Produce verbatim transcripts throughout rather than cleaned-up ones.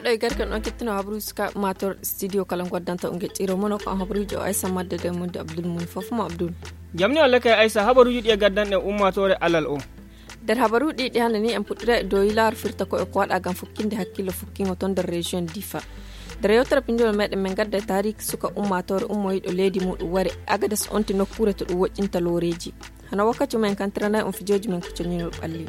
Ɓiɗɗo e garke on kettino habaruuji sukaaɓe ummaatoore studio kala ngoddanta on geƴƴiro mono ko on habaruuji o aysa madde de mundi abdul mum fof mo abdul. Jamni on lekay aysa habaruuji ɗi e gaddanɗen ummaatoore alal o. Nder habaruuji ɗi ɗi hannde ni en puɗɗira e dow yilaaru firta ko e ko waɗa ngam fukkinde hakkillo fukkingo toon nder région difa. Nder yewtere pinndol meɗen min ngadda e taariki suka ummaatoore ummoyiɗo leydi muɗum ware agadas onti nokkuure to ɗum woƴƴinta looreeji. Hano wakkati men kantiranay on fijooji men ko coñinol ɓalli.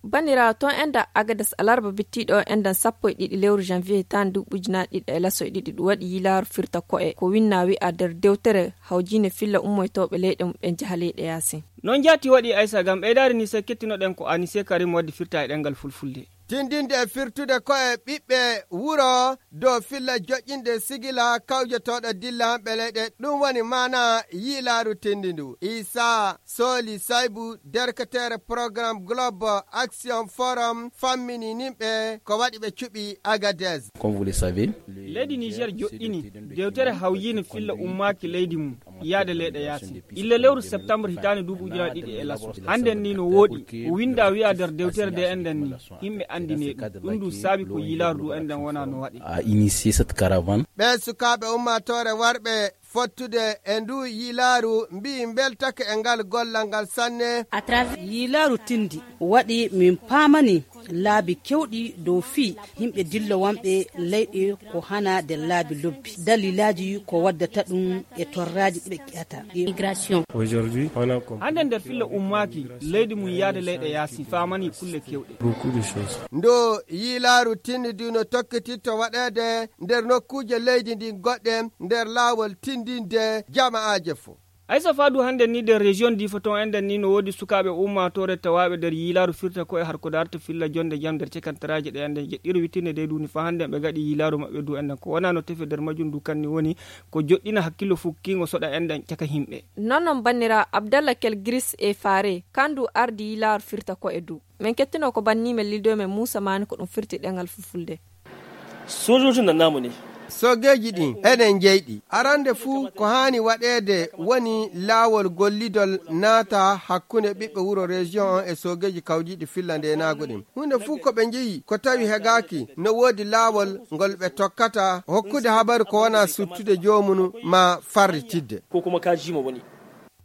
Banndiraawo toon enda agadas alarba bittiiɗo o endan sappo e ɗiɗi lewru janvier tan duuɓuji na ɗiɗi e laso e ɗiɗi ɗum waɗi yilaaru firta ko'e ko winna wi'a nder dewtere hawjiine filla ummoytooɓe leyɗe mum ɓen jaha leyɗe yaasin. Noon jaati waɗi aysa ngam ɓeydaade ni se kettinoɗen ko anise karim waddi firta e ɗenngal fulfulde. Tindinde e firtude ko e ɓiɓɓe wuro dow filla joƴƴinde sigila kawjotooɗo dilla hamɓe leyɗe ɗum woni maana yiilaaru tindindu isa sooli saybu derketeere programme globe action forum fammini nimɓe ko waɗi ɓe cuɓi agades. Leydi niger joɗɗini dewtere hawyiino filla ummaaki leydi mum yaade leyɗe yaasi illa lewru septembre hitaande duuɓi ujunaaji ɗiɗi e laso. Hannden ni no wooɗi o winnda wi'a nder dewtere nde enɗen ni yimɓe anndine ɗum ɗum du saabi ko yilaaru du enɗen wona no waɗi. A initié cette caravane. Ɓee sukaaɓe ummaatoore warɓe fottude e ndu yilaaru mbiyi mbeltake e ngal gollal ngal sanne. Yilaaru tindi waɗi min paamani laabi kewɗi dow fii yimɓe dillowanɓe leyɗe ko hana nder laabi lobbi dalilaaji ko waddata ɗum e torraaji ɗi ɓe ƴata. Hannde nder filla ummaaki leydi mum yaade leyɗe yaasi faamani kulle kewɗe. Ndo yiilaaru tinnidu no tokkititto waɗeede nder nokkuuje leydi ndin goɗɗe nder laawol tindinde jama'aaje fof. Aysa faadu hannde ni nder région difa ton enɗen ni no woodi sukaaɓe ummaatoore tawaaɓe nder yiilaaru firta ko e harko darta filla jonde jam nder cekantaraaji ɗe enɗen jeɗɗiro wittinde dey duuni fa hannde ɓe ngaɗi yiilaaru maɓɓe du enɗen ko wona no tefe nder majjum du kanni woni ko joɗɗina hakkillo fukkiingo soɗa enɗen caka yimɓe. Non non bannira abdalla kel gris e faare kandu ardi yiilaaru firta ko e du. Min kettino ko banni men lildo men muusa maani ko ɗum firti ɗengal fulfulde. Sojooji nan namu ne. Soogeeji ɗin eɗen jeyɗi arande fuu ko haani waɗeede woni laawol gollidol naata hakkunde ɓiɓɓe wuro région on e soogeeji kawjiiɗi filla ndeenaagu ɗin huunde fuu ko ɓe njeyi ko tawi hegaaki no woodi laawol ngol ɓe tokkata hokkude habaru ko wona suttude joomunu ma farritidde. Ko kuma kaa jiima woni.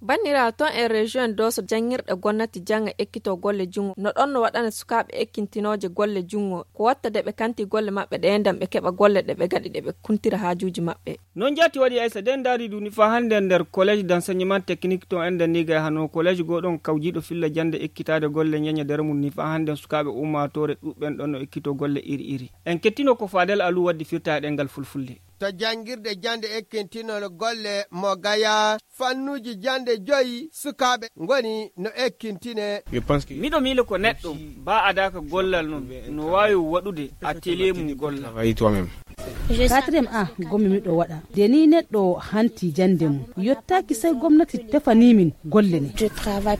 Banniraawo toon e région dooso janngirɗe gonnati jannga ekkito golle junngo no ɗoon no waɗana sukaaɓe ekkintinooje golle junngo ko watta de ɓe kanti golle maɓɓe ɗe enɗan ɓe keɓa golle ɗe ɓe gaɗi ɗe ɓe kuntira haajuuji maɓɓe. Noon jaati waɗi aysa de ndaari duni faa hannde nder collège d'enseignement technique toon enɗan ni gay hano collège goo ɗoon kawjiiɗo filla jannde ekkitaade golle ñeñe nder mum ni faa hannde sukaaɓe ummaatoore ɗuuɓɓen ɗoon no ekkito golle iri iri. En kettino ko faadel alu waddi firta e ɗenngal fulfulde. To janngirde jannde ekkintinol golle mo gaya fannuuji jannde joyi sukaaɓe ngoni no ekkintine. Miɗo miila ko neɗɗo ba adaaka gollal noon no waawi waɗude atelier mum gollal. Quatrième a gomi miɗo waɗa de ni neɗɗo hanti jannde mum yottaaki sey gomnati tefanii min golle ne.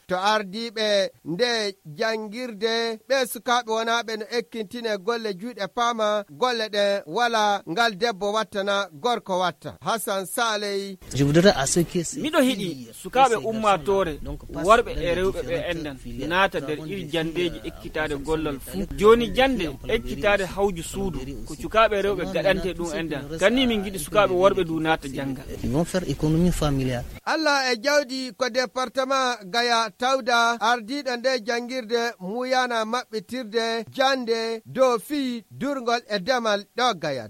To ardiiɓe nde janngirde ɓee sukaaɓe wonaaɓe no ekkintine golle juuɗe paama golle ɗen wala ngal debbo wattana gorko watta hasan saley. Miɗo hiɗi sukaaɓe ummaatoore worɓe e rewɓe ɓe enɗan naata nder iri janndeeji ekkitaade gollal fuu jooni jannde ekkitaade hawju suudu ko cukaaɓe rewɓe gaɗante ɗum enɗan kanni min ngiɗi sukaaɓe worɓe du naata jannga. Alla e jawdi ko département gaya tawda ardiiɗo nde janngirde muyana maɓɓitirde jannde dow fii durngol e demal ɗo gaya.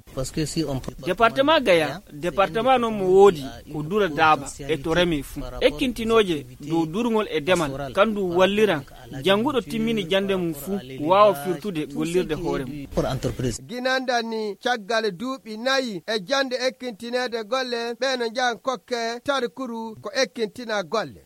Département gaya département noon mo woodi ko dura daaba e to reme fuu ekkintinooje dow durngol e demal kandu walliran jannguɗo timmini jannde mum fuu waawa firtude gollirde hoore mum. Ginandan ni caggal duuɓi nayi e jannde ekkintineede golle ɓee no njahan kokke tarkuru ko ekkintina golle.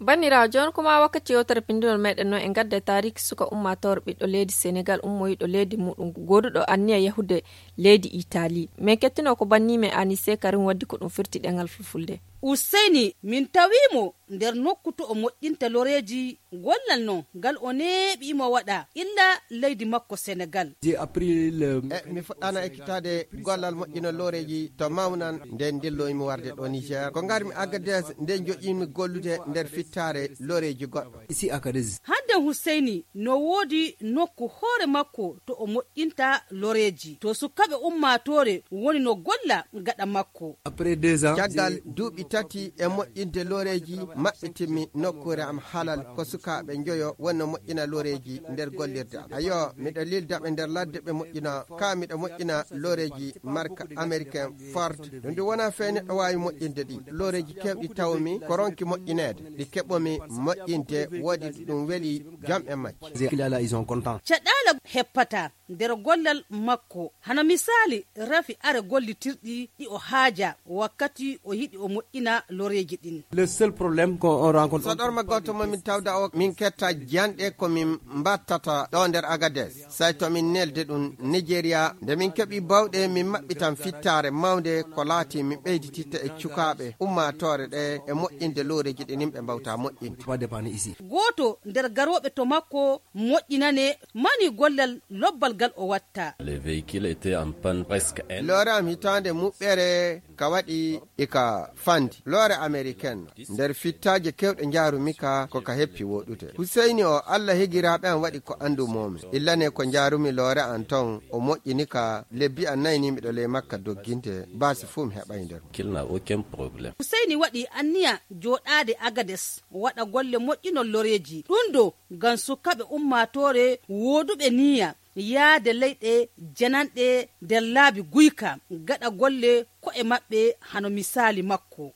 Banniraawo jooni kuma wakkati yewtere pinndinol meɗen noon e ngadda e taariki suka ummaatoore ɓiɗɗo leydi senegal ummoyiɗo leydi muɗum gooduɗo anniya yahude leydi itali min kettino ko banni men anise karim waddi ko ɗum firti ɗengal fulfulde. Useyni, min tawii mo nder nokku to o moƴƴinta loreeji. Gollal non ngal o neeɓi imo waɗa illa leydi makko Senegal. J'ai appris le E mi fuɗɗaana ekkitaade gollal moƴƴina loreeji to mawnan nde ndilloymi warde ɗo Niger. Ko ngarmi Agadez nde joƴƴimi gollude nder fittaare loreeji goɗɗo. Ici Agadez. Hadden Huseyni no woodi nokku hoore makko to o moƴƴinta loreeji. To sukaaɓe ummaatoore woni no golla gaɗa makko. Après deux ans, caggal duuɓi tati e moƴƴinde loreeji, maɓɓitinmi nokkuure am halal ko sukaaɓe njoyo woni no moƴƴina loreeji nder gollirde am. Ayo, miɗo lilda ɓe nder ladde ɓe moƴƴina. Ka miɗo moƴƴina loreeji marka américain Ford. Ɗum ɗum wonaa fey neɗɗo waawi moƴƴinde ɗi. Loreeji keewɗi tawmi ko ronki moƴƴineede. Ɗi keɓomi moƴƴinde woodi ɗum weli jam e majji. Zé Kilala, ils sont contents. Caɗaala heppata nder gollal makko. Hano misaali rafi are gollitirɗi ɗi o haaja wakkati o yiɗi o moƴƴina loreeji ɗin. Le seul problème qu'on rencontre. Soɗorma gooto mo min tawda o min ketta janɗe ko min mbattata ɗo nder Agadez. Say to min nelde ɗum Nigeria, nde min keɓi bawɗe min maɓɓitan fittaare mawnde ko laati min ɓeydititta e cukaaɓe ummaatoore ɗe e moƴƴinde loreeji ɗi nimɓe mbawta moƴƴinde. Pas dépanner ici. Gooto nder garooɓe to makko moƴƴinane mani gollal lobbal gal o watta. Le véhicule était en panne presque un. Loore am hitaande muɓɓere ka waɗi ika fandi. Loore américaine nder fittaaje kewɗe njaarumi ka ko ka heppi woɗude. Huseyni o Allah higiraaɓe am waɗi ko anndu moomi. Illane ko njaarumi loore an ton o moƴƴini ka lebbi an nayni miɗo ley makka dogginte baasi fuu mi heɓay nder. Qu'il n'a aucun problème. Huseyni waɗi anniya jooɗaade Agades waɗa golle moƴƴinol loreeji. Ɗum ɗo ngam sukaaɓe ummaatoore wooduɓe niya yaade leyɗe jananɗe nder laabi guyka gaɗa golle ko'e maɓɓe hano misaali makko.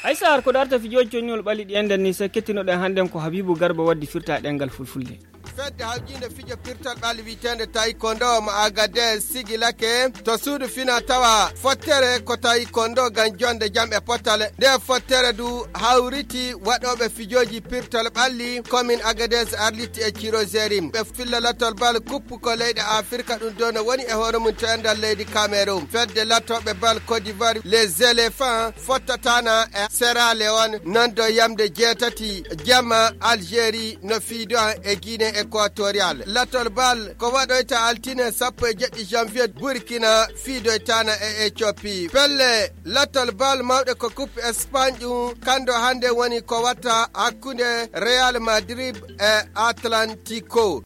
Haysa har ko darta fijooji connol ɓalli ɗi enɗen ni, so kettinoɗen hannden ko Habibu Garba waddi firta ɗengal fulfulde. Fedde hawjiinde fijo pirtal ɓalli wiyeteende taekwondo mo Agadez sigilake to suudu fina tawa fottere ko taekwondo ngam jonde jam e pottal. Nde fottere du hawriti waɗooɓe fijooji pirtal ɓalli komin Agadez arliti e Cirozeri. Ɓe filla latol bal kuppu ko leyɗe Afirka ɗum ɗo no woni e hoore mum to enɗal leydi Cameroun. Fedde latooɓe bal Côte d'Ivoire, les éléphants, fottatana e Sierra Leone, non do yamde jeetati jamma Algérie no fiido e Guinée équatoriale. Latol bal ko waɗoyta altine sappo e jeɗɗi janvier Burkina fiidoytana e Éthiopie. Pelle latol bal mawɗe ko coupe Espagne ɗum kando hannde woni ko watta hakkunde Real Madrid e Atlantico.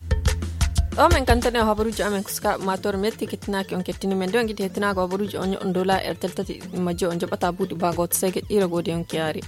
Ɗo men kantani o habaruuji amen ko sukaaɓe maatoore metti kettinaaki on kettini men de on giɗi hettinaako habaruuji on nyo'on dola e teltati majjo on joɓata buuɗi baa gooto sege ɗiira goodi on kiyaari.